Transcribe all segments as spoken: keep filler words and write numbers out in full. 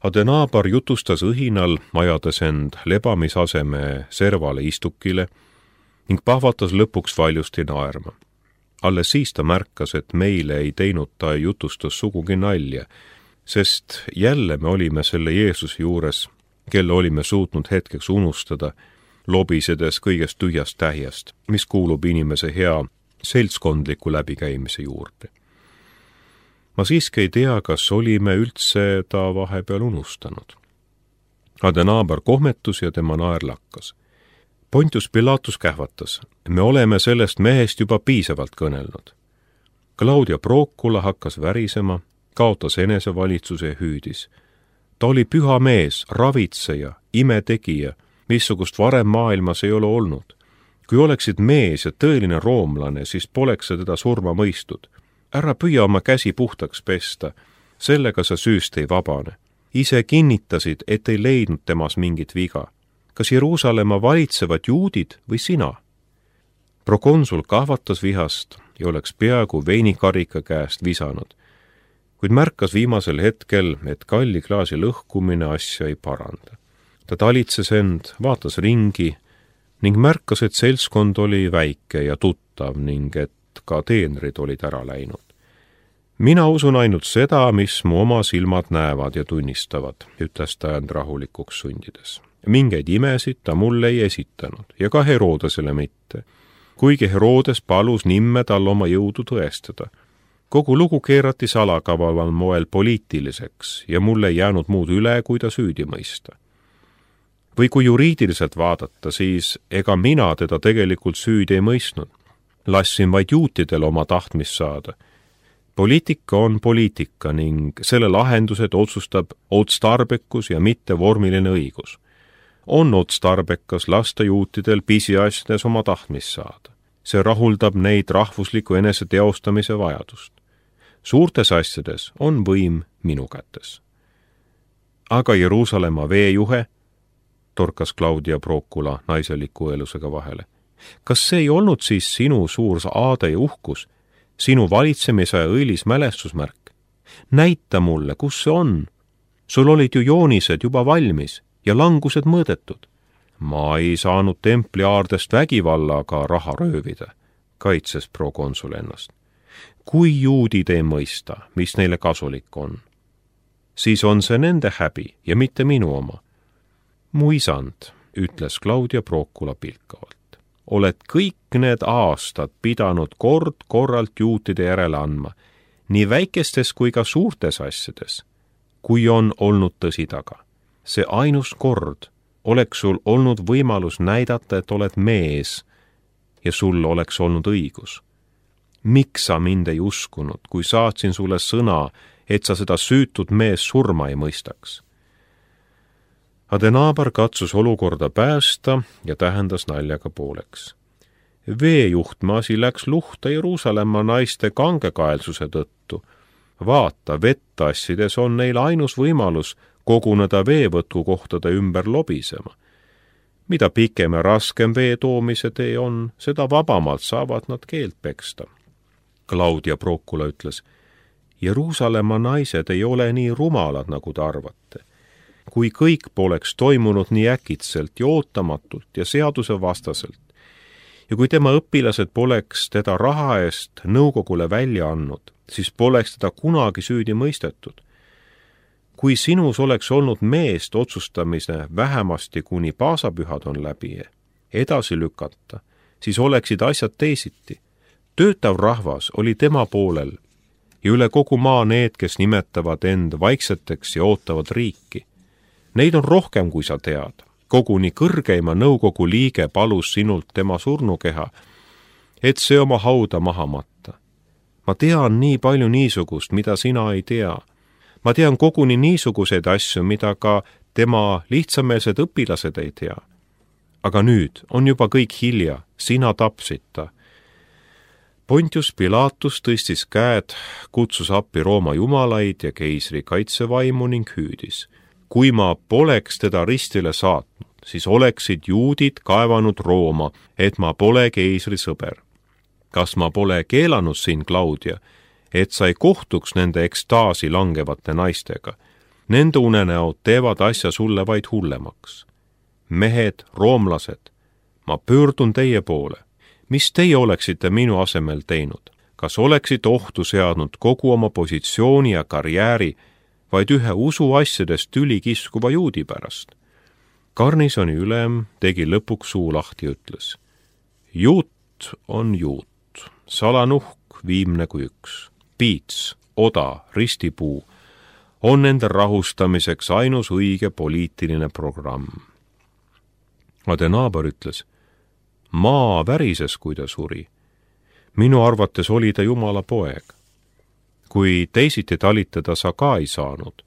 Adenaabar jutustas õhinal, ajades end lebamisaseme servale istukile ning pahvatas lõpuks valjusti naerma. Alles siis ta märkas, et meile ei teinud ta jutustus sugugi nalja, sest jälle me olime selle Jeesuse juures, kelle olime suutnud hetkeks unustada, lobisedes kõigest tühjast tähjast, mis kuulub inimese hea seltskondliku läbikäimise juurde. Ma siiski ei tea, kas olime üldse ta vahepeal unustanud. Adenaabar kohmetus ja tema naer lakkas. Pontius Pilatus kähvatas. Me oleme sellest mehest juba piisavalt kõnelnud. Claudia Procula hakkas värisema, kaotas enesevalitsuse ja hüüdis. Ta oli püha mees, ravitseja, imetegija, missugust varem maailmas ei ole olnud. Kui oleksid mees ja tõeline roomlane, siis poleks sa teda surma mõistud. Ära püüa oma käsi puhtaks pesta, sellega sa süüst ei vabane. Ise kinnitasid, et ei leidnud temas mingit viga. Kas Jeruusalemma valitsevad juudid või sina? Prokonsul kahvatas vihast ja oleks peaaegu veinikarika käest visanud, kuid märkas viimasel hetkel, et kalli klaasi lõhkumine asja ei paranda. Ta talitses end, vaatas ringi ning märkas, et seltskond oli väike ja tuttav ning et ka teenrid olid ära läinud. Mina usun ainult seda, mis mu oma silmad näevad ja tunnistavad, ütles ta end rahulikuks sundides. Mingeid imesid ta mulle ei esitanud ja ka Herodesele mitte, kuigi Herodes palus nimme tal oma jõudu tõestada. Kogu lugu keerati salakavaval moel poliitiliseks ja mulle ei jäänud muud üle, kui ta süüdi mõista. Või kui juriidiliselt vaadata, siis ega mina teda tegelikult süüdi ei mõistnud. Lassin vaid juutidel oma tahtmist saada. Poliitika on poliitika ning selle lahendused otsustab otstarbekus ja mitte vormiline õigus. On otstarbekas lasta juutidel pisiasjades oma tahtmist saada. See rahuldab neid rahvusliku enese teostamise vajadust. Suurtes asjades on võim minu kätes. Aga Jeruusalemma veejuhe, torkas Claudia Procula naiseliku elusega vahele. Kas see ei olnud siis sinu suur aade ja uhkus, sinu valitsemise õilis mälestusmärk? Näita mulle, kus see on. Sul olid ju joonised juba valmis ja langused mõõdetud. Ma ei saanud templi aardest vägivallaga raha röövida, kaitses prokonsul ennast. Kui juudid ei mõista, mis neile kasulik on, siis on see nende häbi ja mitte minu oma. Mu isand, ütles Claudia Procula pilkavalt, oled kõik need aastad pidanud kord korralt juutide järele andma, nii väikestes kui ka suurtes asjades, kui on olnud tõsi taga. See ainus kord oleks sul olnud võimalus näidata, et oled mees ja sul oleks olnud õigus. Miks sa mind ei uskunud, kui saatsin sulle sõna, et sa seda süütud mees surma ei mõistaks? Adenaabar katsus olukorda päästa ja tähendas naljaga pooleks. Veejuhtme asi läks luhta Jeruusalemma naiste kangekaelsuse tõttu. Vaata, vettassides on neil ainus võimalus koguneda veevõtukohtade ümber lobisema. Mida pikem ja raskem vee toomise tee on, seda vabamalt saavad nad keelt peksta. Claudia Procula ütles, Jeruusalemma naised ei ole nii rumalad, nagu te arvate. Kui kõik poleks toimunud nii äkitselt ja ootamatult ja seaduse vastaselt, ja kui tema õpilased poleks teda raha eest nõukogule välja andnud, siis poleks teda kunagi süüdi mõistetud. Kui sinus oleks olnud meest otsustamise vähemasti kuni paasapühad on läbi edasi lükata, siis oleksid asjad teisiti. Töötav rahvas oli tema poolel ja üle kogu maa need, kes nimetavad end vaikseteks ja ootavad riiki. Neid on rohkem, kui sa tead. Koguni kõrgeima nõukogu liige palus sinult tema surnukeha, et see oma hauda maha matta. Ma tean nii palju niisugust, mida sina ei tea. Ma tean koguni niisuguseid asju, mida ka tema lihtsameelsed õpilased ei tea. Aga nüüd on juba kõik hilja, sina tapsid ta. Pontius Pilatus tõstis käed, kutsus appi Rooma jumalaid ja keisri kaitsevaimu ning hüüdis. Kui ma poleks teda ristile saatnud, siis oleksid juudid kaevanud Rooma, et ma pole keisri sõber. Kas ma pole keelanud siin, Claudia, et sa ei kohtuks nende ekstaasi langevate naistega? Nende unenäod teevad asja sulle vaid hullemaks. Mehed, roomlased, ma pöördun teie poole. Mis teie oleksite minu asemel teinud? Kas oleksite ohtu seadnud kogu oma positsiooni ja karjääri vaid ühe usuasjadest tüli kiskuva juudi pärast? Garnisoni ülem tegi lõpuks suu lahti ja ütles: juut on juut, salanuhk viimne kui üks, piits, oda, ristipuu on nende rahustamiseks ainus õige poliitiline programm. Adenaaber ütles: maa värises, kui ta suri. Minu arvates oli ta Jumala poeg. Kui teisiti talitada sa ka ei saanud.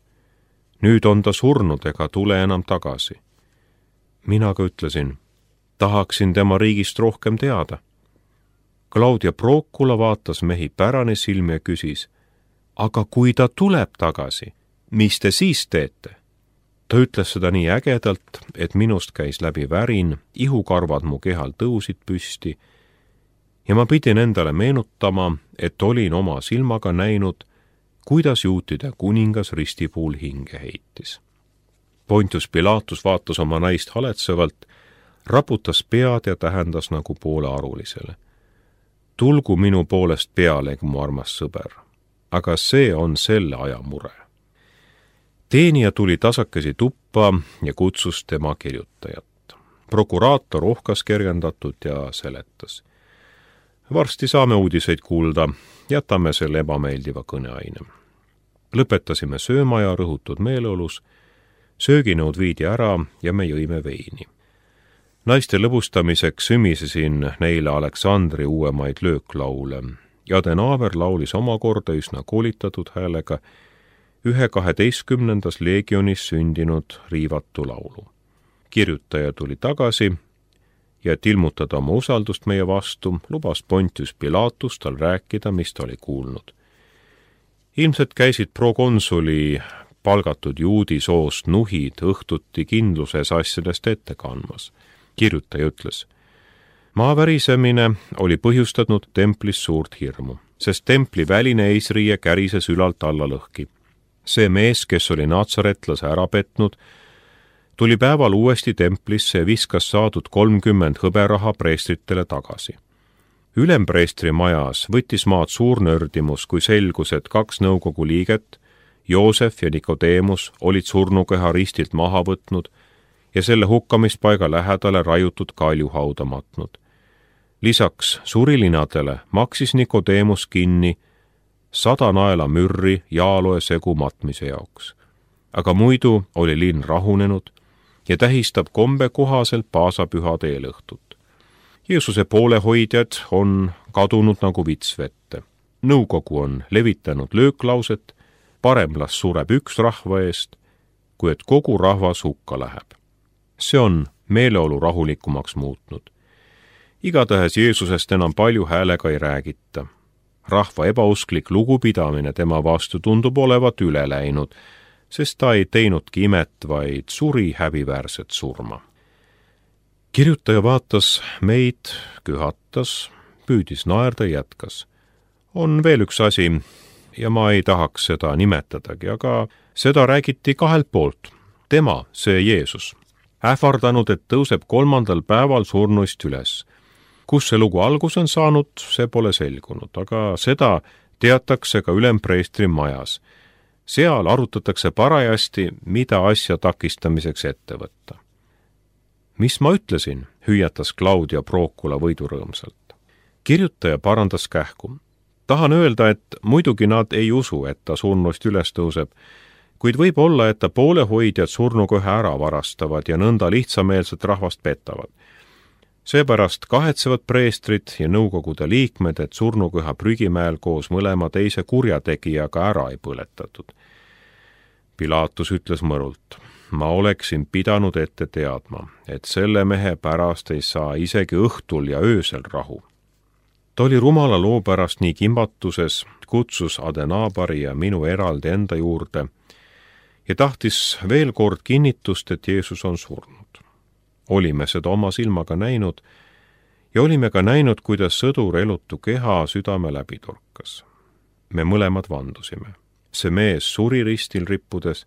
Nüüd on ta surnud ega tule enam tagasi. Mina ka ütlesin: tahaksin tema riigist rohkem teada. Claudia Procula vaatas mehi pärane silmi ja küsis: aga kui ta tuleb tagasi, mis te siis teete? Ta ütles seda nii ägedalt, et minust käis läbi värin, ihukarvad mu kehal tõusid püsti ja ma pidin endale meenutama, et olin oma silmaga näinud, kuidas juutide kuningas ristipuul hinge heitis. Pontius Pilatus vaatas oma naist haletsevalt, raputas pead ja tähendas nagu poole arulisele: tulgu minu poolest peale, mu armas sõber, aga see on selle aja mure. Teenija tuli tasakesi tuppa ja kutsus tema kirjutajat. Prokuraator ohkas kergendatud ja seletas: varsti saame uudiseid kuulda, jätame selle ebameeldiva kõneaine. Lõpetasime sööma ja rõhutud meeleolus, sööginõud viidi ära ja me jõime veini. Naiste lõbustamiseks sümisesin neile Aleksandri uuemaid lööklaule ja Adenaaber laulis omakorda üsna koolitatud häälega ühe kaheteistkümnendas leegionis sündinud riivatu laulu. Kirjutaja tuli tagasi ja et ilmutada oma usaldust meie vastu, lubas Pontius Pilatus tal rääkida, mis ta oli kuulnud. Ilmselt käisid prokonsuli palgatud juudi soost nuhid õhtuti kindluses asjadest ette kandmas. Kirjutaja ütles: maa värisemine oli põhjustanud templis suurt hirmu, sest templi väline eesriie kärises ülalt alla lõhki. See mees, kes oli natsaretlase ära petnud, tuli päeval uuesti templisse ja viskas saadud kolmkümmend hõberaha preestritele tagasi. Ülempreestri majas võttis maad suur nördimus, kui selgus, et kaks nõukogu liiget, Joosef ja Nikodeemus, olid surnukeha ristilt maha võtnud ja selle hukkamispaiga lähedale raiutud kaljuhauda matnud. Lisaks surilinadele maksis Nikodeemus kinni sada naela mürri jaaloe segu matmise jaoks. Aga muidu oli linn rahunenud ja tähistab kombe kohaselt paasapühade eelõhtut. Jeesuse poolehoidjad on kadunud nagu vits vette. Nõukogu on levitanud lööklauset: parem las sureb üks rahva eest, kui et kogu rahvas hukka läheb. See on meeleolu rahulikumaks muutnud. Igatahes Jeesusest enam palju häälega ei räägita. Rahva ebausklik lugupidamine tema vastu tundub olevat üle läinud, sest ta ei teinudki imet, vaid suri häbiväärset surma. Kirjutaja vaatas meid, köhatas, püüdis naerda ja jätkas: on veel üks asi ja ma ei tahaks seda nimetadagi, aga seda räägiti kahelt poolt. Tema, see Jeesus, ähvardanud, et tõuseb kolmandal päeval surnuist üles. Kus see lugu algus on saanud, see pole selgunud, aga seda teatakse ka ülempreestri majas. Seal arutatakse parajasti, mida asja takistamiseks ette võtta. Mis ma ütlesin, hüüatas Claudia Procula võidurõõmsalt. Kirjutaja parandas kähku. Tahan öelda, et muidugi nad ei usu, et ta surnuist üles tõuseb, kuid võib olla, et ta poolehoidjad surnuköhe ära varastavad ja nõnda lihtsameelset rahvast petavad. Seepärast kahetsevad preestrid ja nõukogude liikmed, et surnuköha prügimäel koos mõlema teise kurjategijaga ära ei põletatud. Pilatus ütles mõrult: ma oleksin pidanud ette teadma, et selle mehe pärast ei saa isegi õhtul ja öösel rahu. Ta oli rumala loo pärast nii kimbatuses, kutsus Adenaabari ja minu eraldi enda juurde ja tahtis veel kord kinnitust, et Jeesus on surnud. Olime seda oma silmaga näinud ja olime ka näinud, kuidas sõdur elutu keha südame läbi torkas. Me mõlemad vandusime. See mees suri ristil rippudes,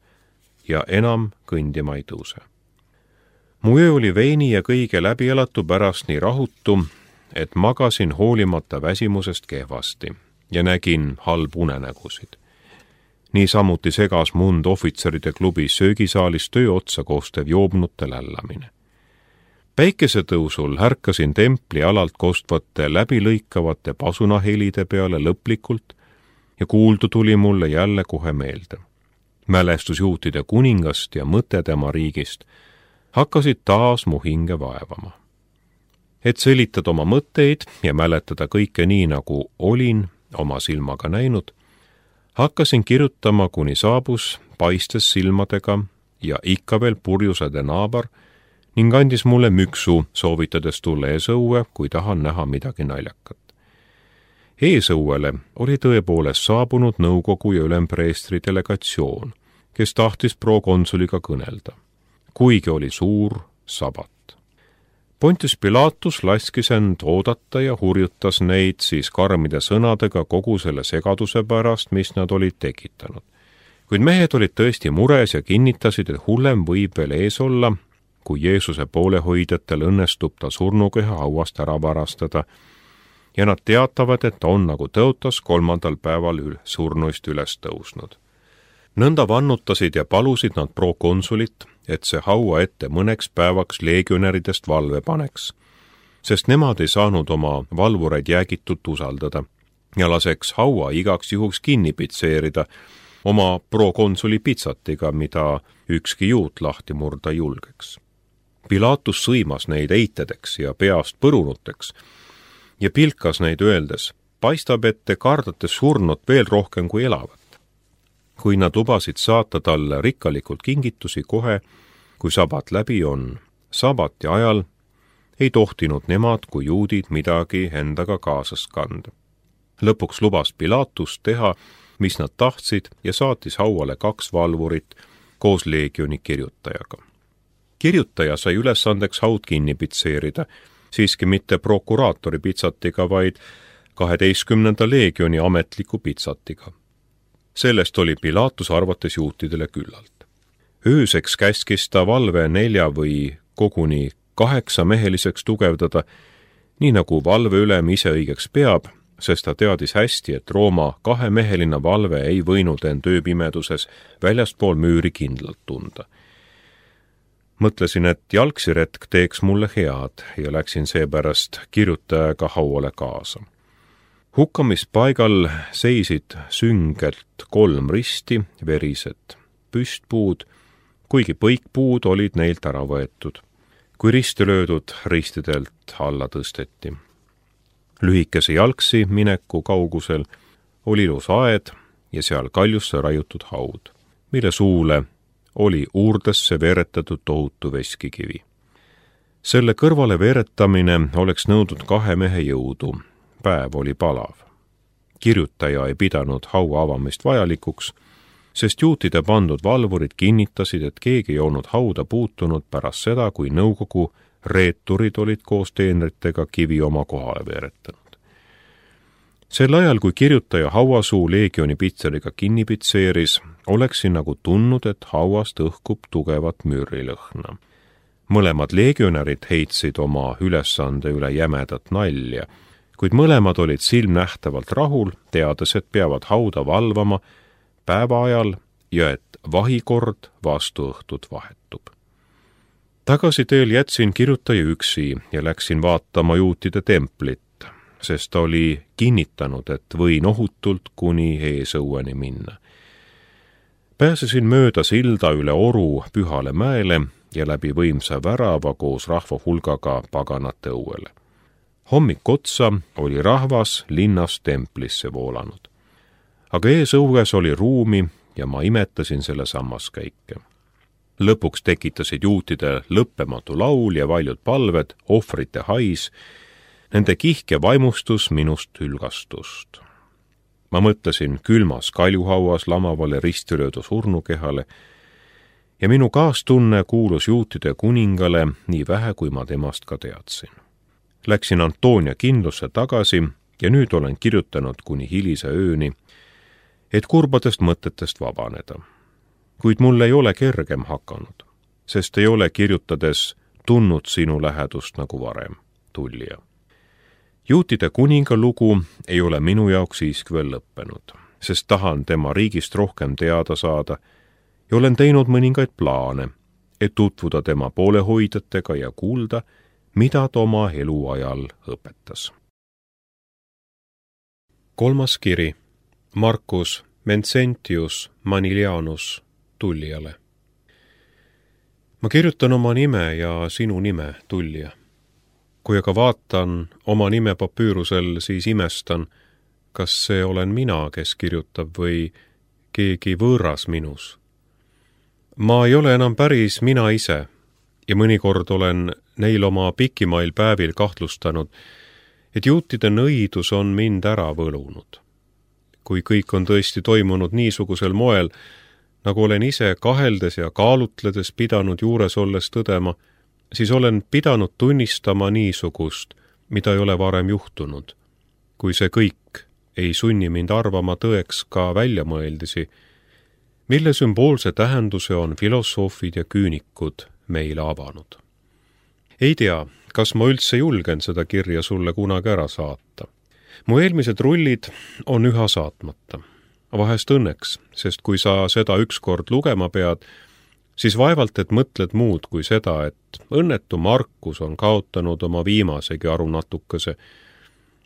ja enam kõndima ei tõuse. mu öö oli veini ja kõige läbielatu pärast nii rahutu, et magasin hoolimata väsimusest kehvasti ja nägin halbu unenägusid. Niisamuti segas mund ohvitseride klubi söögisaalis töö otsa koostev joobnute lällamine. Päikesetõusul ärkasin templi alalt kostvate läbilõikavate pasunahelide peale lõplikult ja kuuldu tuli mulle jälle kohe meelde. Mälestusjuutide kuningast ja mõte tema riigist hakkasid taas mu hinge vaevama. Et selitada oma mõtteid ja mäletada kõike nii, nagu olin oma silmaga näinud, hakkasin kirjutama, kuni saabus paistes silmadega ja ikka veel purjusade naaber ning andis mulle müksu, soovitades tulla eesõue, kui tahan näha midagi naljakat. Eesõuele oli tõepoolest saabunud nõukogu ja ülempreestri delegatsioon, kes tahtis prokonsuliga kõnelda, kuigi oli suur sabat. Pontius Pilatus laskis end oodata ja hurjutas neid siis karmide sõnadega kogu selle segaduse pärast, mis nad olid tekitanud. Kuid mehed olid tõesti mures ja kinnitasid, et hullem võib veel ees olla, kui Jeesuse poolehoidjatel õnnestub ta surnukeha hauast ära varastada ja nad teatavad, et ta on nagu tõotas kolmandal päeval ül surnuist üles tõusnud. Nõnda vannutasid ja palusid nad prokonsulit, et see haua ette mõneks päevaks leegionäridest valve paneks, sest nemad ei saanud oma valvureid jäägitult usaldada ja laseks haua igaks juhuks kinni pitseerida oma prokonsuli pitsatiga, mida ükski juut lahti murda julgeks. Pilatus sõimas neid eitedeks ja peast põrunuteks ja pilkas neid öeldes, paistab, et te kardate surnut veel rohkem kui elavat. Kui nad lubasid saata talle rikkalikult kingitusi kohe, kui sabat läbi on, sabati ajal ei tohtinud nemad kui juudid midagi endaga kaasas kanda. Lõpuks lubas Pilatus teha, mis nad tahtsid ja saatis hauale kaks valvurit koos leegioni kirjutajaga. Kirjutaja sai ülesandeks haud kinni pitseerida, siiski mitte prokuraatori pitsatiga, vaid kaheteistkümnenda leegioni ametliku pitsatiga. Sellest oli Pilatus arvates juutidele küllalt. Ööseks käskis ta valve nelja või koguni kaheksa meheliseks tugevdada, nii nagu valveülem ise õigeks peab, sest ta teadis hästi, et Rooma kahemeheline valve ei võinud end ööpimeduses väljaspool müüri kindlalt tunda. Mõtlesin, et jalgsiretk teeks mulle head ja läksin seepärast kirjutajaga hauale kaasa. Hukkamispaigal seisid süngelt kolm risti, verised püstpuud, kuigi põikpuud olid neilt ära võetud, kui risti löödud ristidelt alla tõsteti. Lühikese jalgsi mineku kaugusel oli ilus aed ja seal kaljusse raiutud haud, mille suule oli uurdesse veeretatud tohutu veskikivi. Selle kõrvale veeretamine oleks nõudnud kahe mehe jõudu. Päev oli palav. Kirjutaja ei pidanud haua avamist vajalikuks, sest juutide pandud valvurid kinnitasid, et keegi ei olnud hauda puutunud pärast seda, kui nõukogu reeturid olid koos teenritega kivi oma kohale veeretanud. Sel ajal, kui kirjutaja hauasuu leegioni pitseriga kinni pitseeris, oleksin nagu tundnud, et hauast õhkub tugevat müürilõhna. Mõlemad leegionärid heitsid oma ülesande üle jämedat nalja, kuid mõlemad olid silmnähtavalt rahul, teades, et peavad hauda valvama päeva ajal ja et vahikord vastu õhtut vahetub. Tagasi teel jätsin kirjutaja üksi ja läksin vaatama juutide templit, sest ta oli kinnitanud, et võin ohutult kuni eesõueni minna. Pääsesin mööda silda üle oru Pühale mäele ja läbi võimsa värava koos rahva hulgaga paganate õuele. Hommik otsa oli rahvas linnast templisse voolanud. Aga eesõues oli ruumi ja ma imetasin selle sammaskäike. Lõpuks tekitasid juutide lõppematu laul ja valjud palved, ohvrite hais, nende kihke vaimustus minust hülgastust. Ma mõtlesin külmas kaljuhauas lamavale ristilöödu surnukehale ja minu kaastunne kuulus juutide kuningale nii vähe, kui ma temast ka teadsin. Läksin Antonia kindlusse tagasi ja nüüd olen kirjutanud kuni hilise ööni, et kurbadest mõtetest vabaneda. kuid mul ei ole kergem hakanud, sest ei ole kirjutades tundnud sinu lähedust nagu varem, Tullija. Juutide kuninga lugu ei ole minu jaoks siiski veel lõppenud, sest tahan tema riigist rohkem teada saada ja olen teinud mõningaid plaane, et tutvuda tema poolehoidjatega ja kuulda, mida ta oma eluajal õpetas. Kolmas kiri. Marcus Vincentius Manilianus Tullijale. Ma kirjutan oma nime ja sinu nime, Tullija. Kui aga vaatan oma nime papüürusel, siis imestan, kas see olen mina, kes kirjutab või keegi võõras minus. Ma ei ole enam päris mina ise ja mõnikord olen neil oma pikimail päevil kahtlustanud, et juutide nõidus on mind ära võlunud. Kui kõik on tõesti toimunud niisugusel moel, nagu olen ise kaheldes ja kaalutledes pidanud juures olles tõdema, siis olen pidanud tunnistama niisugust, mida ei ole varem juhtunud. Kui see kõik ei sunni mind arvama tõeks ka väljamõeldisi, mille sümboolse tähenduse on filosoofid ja küünikud meile avanud. Ei tea, kas ma üldse julgen seda kirja sulle kunagi ära saata. Mu eelmised rullid on üha saatmata. Vahest õnneks, sest kui sa seda ükskord lugema pead, siis vaevalt, et mõtled muud kui seda, et õnnetu Markus on kaotanud oma viimasegi aru natukese.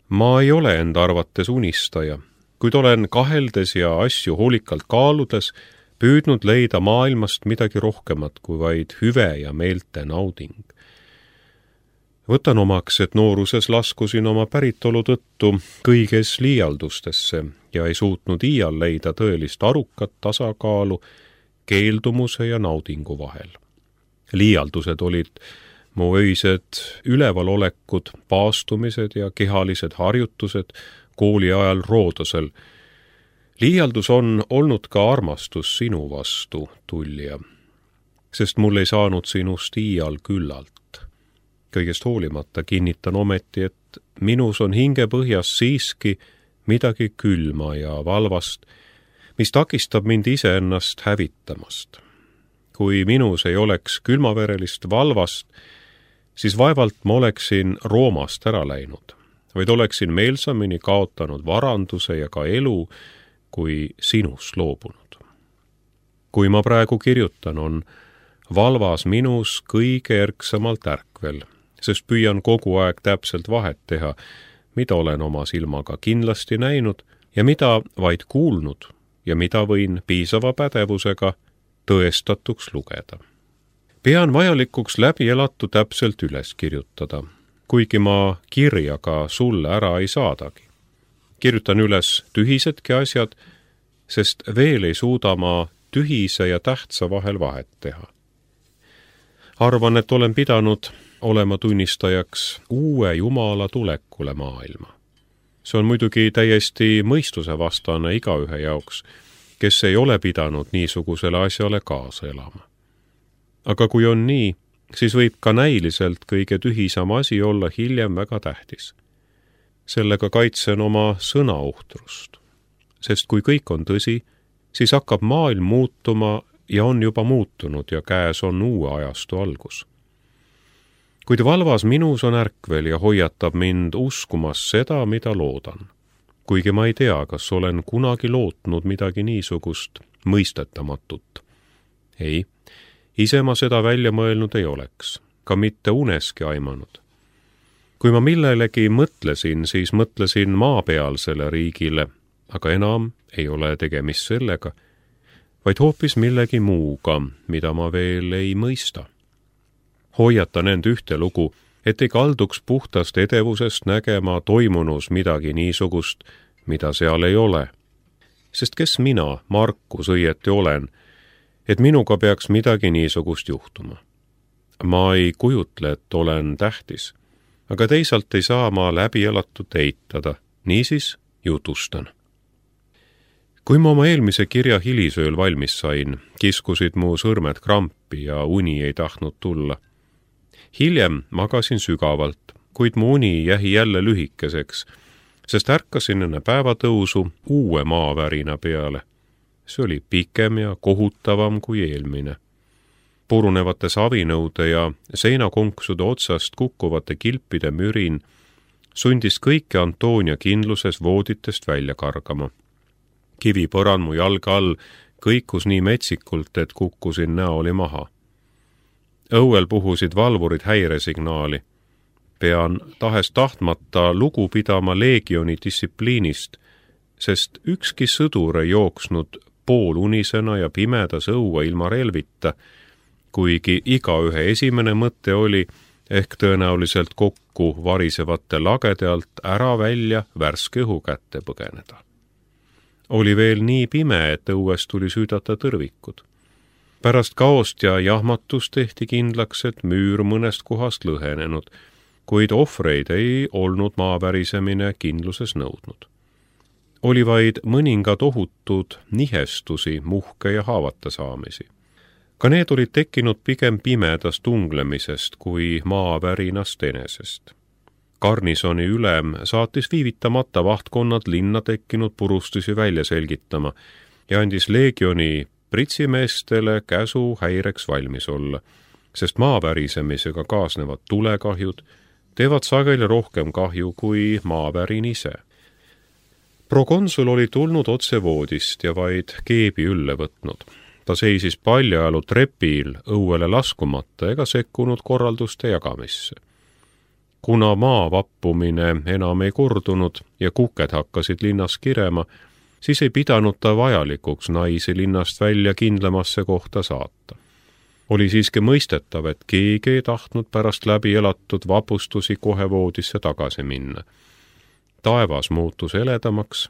Ma ei ole enda arvates unistaja, kuid olen kaheldes ja asju hoolikalt kaaludes püüdnud leida maailmast midagi rohkemat kui vaid hüve ja meelte nauding. Võtan omaks, et nooruses laskusin oma päritolu tõttu kõiges liialdustesse ja ei suutnud iial leida tõelist arukat tasakaalu keeldumuse ja naudingu vahel. Liialdused olid mu öised ülevalolekud, paastumised ja kehalised harjutused kooli ajal Roodosel. Liialdus on olnud ka armastus sinu vastu, Tullija, sest mul ei saanud sinust iial küllalt. Kõigest hoolimata kinnitan ometi, et minus on hingepõhjas siiski midagi külma ja valvast, mis takistab mind iseennast hävitamast. Kui minus ei oleks külmaverelist valvast, siis vaevalt ma oleksin Roomast ära läinud, vaid oleksin meelsamini kaotanud varanduse ja ka elu, kui sinust loobunud. Kui ma praegu kirjutan, on valvas minus kõige erksamalt ärkvel, sest püüan kogu aeg täpselt vahet teha, mida olen oma silmaga kindlasti näinud ja mida vaid kuulnud ja mida võin piisava pädevusega tõestatuks lugeda. Pean vajalikuks läbi elatu täpselt üles kirjutada, kuigi ma kirjaga sulle ära ei saadagi. Kirjutan üles tühisedki asjad, sest veel ei suuda ma tühise ja tähtsa vahel vahet teha. Arvan, et olen pidanud olema tunnistajaks uue Jumala tulekule maailma. See on muidugi täiesti mõistuse vastane igaühe jaoks, kes ei ole pidanud niisugusele asjale kaasa elama. Aga kui on nii, siis võib ka näiliselt kõige tühisam asi olla hiljem väga tähtis. Sellega kaitsen oma sõnauhtrust, sest kui kõik on tõsi, siis hakkab maailm muutuma ja on juba muutunud ja käes on uue ajastu algus. Kuid valvas minus on ärkvel ja hoiatab mind uskumas seda, mida loodan. Kuigi ma ei tea, kas olen kunagi lootnud midagi niisugust mõistetamatut. Ei, ise ma seda välja mõelnud ei oleks, ka mitte uneski aimanud. Kui ma millelegi mõtlesin, siis mõtlesin maapealsele riigile, aga enam ei ole tegemist sellega, vaid hoopis millegi muuga, mida ma veel ei mõista. Hoiatan end ühte lugu, et ei kalduks puhtast edevusest nägema toimunus midagi niisugust, mida seal ei ole. Sest kes mina, Markus, õieti olen, et minuga peaks midagi niisugust juhtuma. Ma ei kujutle, et olen tähtis, aga teisalt ei saa ma läbi elatut eitada, niisiis jutustan. Kui ma oma eelmise kirja hilisööl valmis sain, kiskusid mu sõrmed krampi ja uni ei tahtnud tulla. Hiljem magasin sügavalt, kuid mu uni jäi jälle lühikeseks, sest ärkasin enne päevatõusu uue maavärina peale. see oli pikem ja kohutavam kui eelmine. Purunevate savinõude ja seinakonksude otsast kukkuvate kilpide mürin sundis kõike Antonia kindluses vooditest välja kargama. Kivipõrand mu jalga all kõikus nii metsikult, et kukkusin näoli maha. Õuel puhusid valvurid häiresignaali. Pean tahes tahtmata lugu pidama leegioni distsipliinist, sest ükski sõdur ei jooksnud poolunisena ja pimedas õue ilma relvita, kuigi igaühe esimene mõte oli ehk tõenäoliselt kokku varisevate lagede alt ära välja värske õhu kätte põgeneda. Oli veel nii pime, et õues tuli süüdata tõrvikud. Pärast kaost ja jahmatust tehti kindlaks, et müür mõnest kohast lõhenenud, kuid ohvreid ei olnud maavärisemine kindluses nõudnud. Oli vaid mõningad ohutud nihestusi, muhke ja haavata saamisi. Ka need olid tekkinud pigem pimedast tunglemisest kui maavärinast enesest. Garnisoni ülem saatis viivitamata vahtkonnad linna tekkinud purustusi välja selgitama ja andis leegioni pritsimeestele käsu häireks valmis olla, sest maavärisemisega kaasnevad tulekahjud teevad sageli rohkem kahju kui maavärin ise. Prokonsul oli tulnud otse voodist ja vaid keebi ülle võtnud. Ta seisis paljajalu trepil õuele laskumata ega sekkunud korralduste jagamisse. Kuna maa vappumine enam ei kordunud ja kuked hakkasid linnas kirema, siis ei pidanud ta vajalikuks naisi linnast välja kindlamasse kohta saata. Oli siiski mõistetav, et keegi ei tahtnud pärast läbi elatud vapustusi kohe voodisse tagasi minna. Taevas muutus heledamaks,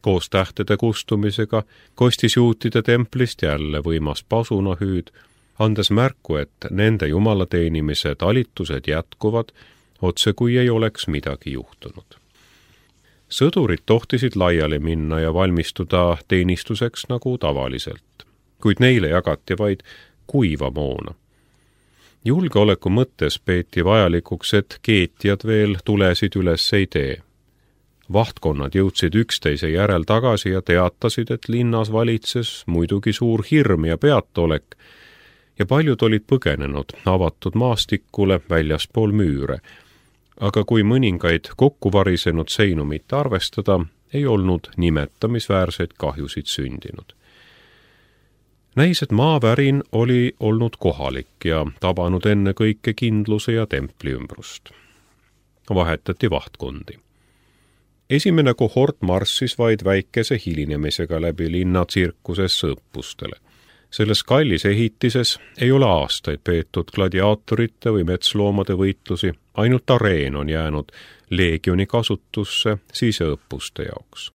koos tähtede kustumisega kostis juutide templist jälle võimas pasunahüüd, andes märku, et nende jumalateenimise talitused jätkuvad, otse kui ei oleks midagi juhtunud. Sõdurid tohtisid laiali minna ja valmistuda teenistuseks nagu tavaliselt, kuid neile jagati vaid kuiva moona. Julgeoleku mõttes peeti vajalikuks, et keetjad veel tulesid üles ei tee. Vahtkonnad jõudsid üksteise järel tagasi ja teatasid, et linnas valitses muidugi suur hirm ja peatolek ja paljud olid põgenenud avatud maastikule väljaspool müüre, aga kui mõningaid kokkuvarisenud seinu mitte arvestada, ei olnud nimetamisväärseid kahjusid sündinud. Näis, et maavärin oli olnud kohalik ja tabanud enne kõike kindluse ja templi ümbrust. Vahetati vahtkondi. Esimene kohort marssis vaid väikese hilinemisega läbi linna tsirkusesse õppustele. Selles kallis ehitises ei ole aastaid peetud gladiaatorite või metsloomade võitlusi, ainult areen on jäänud leegioni kasutusse siseõppuste jaoks.